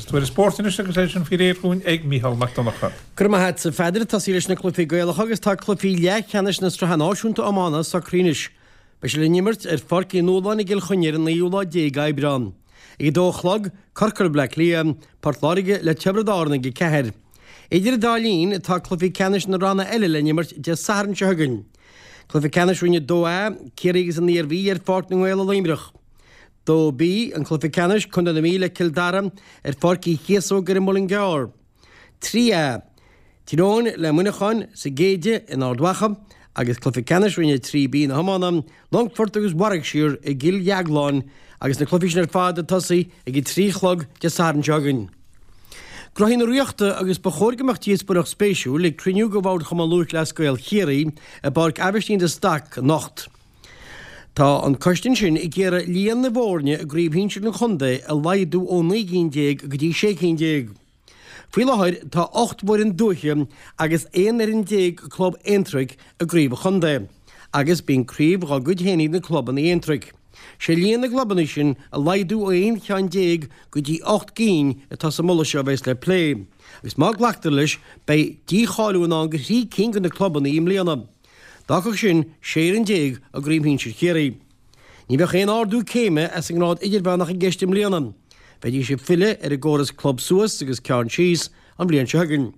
Agus tuairisc spóirt anois agus é sin faoi réir dhúinn ag Mícheál Mac Donncha. Go raibh maith agat, a Pheadair. Tosaí leis na cluichí Gaelacha agus tá cluichí leathcheannais na Sraithe Náisiúnta Iomána socraithe anois. Beidh sé le n-imirt ar Pháirc Uí Nualláin i gCill Chainnigh ar an naoú lá déag Aibreán. Ag a dó a chlog, Corcaigh le Bleá Cliath, Port Láirge le Tiobraid Árann ag a 4. Idir an dá linn, tá cluichí ceannais na ranna eile le n-imirt Dé Sathairn seo chugainn. Cluiche ceannais Roinn 2A, Ciarraí agus an Iarmhí ar Pháirc na nGael i Luimneach. 2B, an cluiche ceannais, Contae na Mí le Cill Dara ar Pháirc Uí Chíosóg ar an Muileann gCearr. 3A, Tír Eoghain le Muineachán sa Géide in Ard Mhacha agus cluiche ceannais Roinn 3B na hiomána, Longfort agus Warwickshire i gCill Dheagláin agus na cluichí sin ar fad ag tosaí ag 3 a chlog Dé Sathairn seo chugainn. Gnóthaí na Ríochta agus ba chóir go mbeadh díospóireacht spéisiúil ag cruinniú de Bhord Chumann Lúthchleas Gael Chiarraí i bPáirc Aibhistín de Staic anocht. Tá an coiste ansin ag iarraidh líon na bhfoirne i gcraobh shinsir an chontae a laghdú ó 19 gcinn go dtí 16 cinn. Faoi láthair tá 8 bhfoireann dúiche agus 11 fhoireann club aontroigh i gcraobh an chontae agus bíonn craobh dhá gcuid féin ag na clubanna aontroigh. Sé líon na gclubanna sin a laghdú ó 11 cheann go dtí 8 gcinn atá sa moladh seo a bheas le plé agus má glactar leis beidh dícháiliú i ndán do thrí cinn de na clubanna i mbliana. D'fhágfadh sin 16 fhoireann i gCraobh Shinsir Chiarraí. Ní bheadh aon ardú céime as an ngrád idirmheánach i gceist i mbliana. Bheidís ag filleadh ar an gcóras club suas agus ceann síos an bhliain seo chugainn.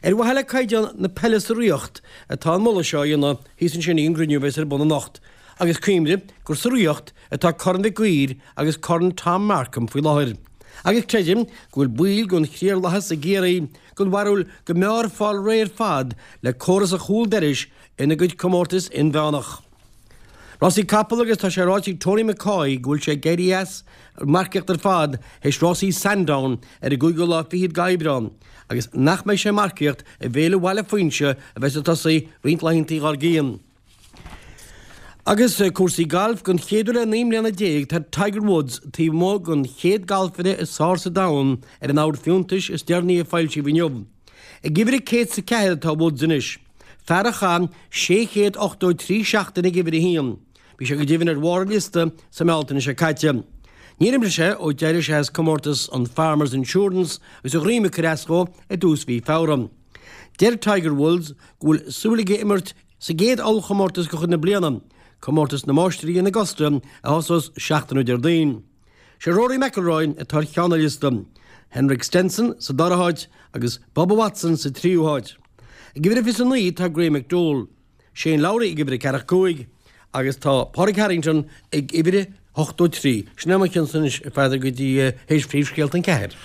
Ar mhaithe le caighdeán na peile sa Ríocht atá an moladh seo á dhéanamh thíos ansin ag an gcruinniú a bheas ar bun anocht agus cuimhnigh gur sa Ríocht atá Corn Mhic Uidhir agus Corn Tom Markham faoi láthair. Agus creidim go bhfuil baill den chliarlathas i gCiarraí den bharúil go mb'fhearr fáil réidh ar fad le córas an chúl dorais ina gcuid comórtas inmheánach. Rásaí capall agus tá sé ráite ag Tony McCoy go bhfuil sé ag éirí as an marcaíocht ar fad théis rásaí Sandown ar an gcúigiú lá fichead d'Aibreán agus nach mbeidh sé ag marcaíocht i bhFéile Bhaile Fuinse a bheas ag tosaí roinnt laethanta dhár gcionn. Agus cúrsaí gailf, don chéad uair le 19 mbliana tá Tiger Woods taobh amuigh den chéad galfaire is fearr sa domhan ar an mbord fiúntais is deireanaí a foilsíodh inniu. Ag uimhir a 104 atá Woods anois, fear a chaith 683 seachtain ag uimhir a haon. Bhí sé go deimhin ar bharr an liosta sa mBealtaine seo caite. Níor imir sé ó d'éirigh sé as comórtas an Farmers Insurance agus a dhroim ag cur as dhó i dtús mhí Feabhra. Deir Tiger Woods go bhfuil súil aige imirt Sa gcéad ollchomórtas de chuid na bliana, Comórtas na Máistrí in Augusta, a thosós seachtain ó Déardaoin. Sé Rory McIlroy atá ar cheann an liosta, Henrik Stenson sa dara háit agus Bubba Watson sa tríú háit. Ag uimhir a 29 tá Graeme McDowell, Shane Lowry ag uimhir a ceathracha 5 agus tá Pádraig Harrington ag uimhir a 83. Sin é mo chionsa anois, a Pheadair, go dtí théis phríomhscéalta an ceathair.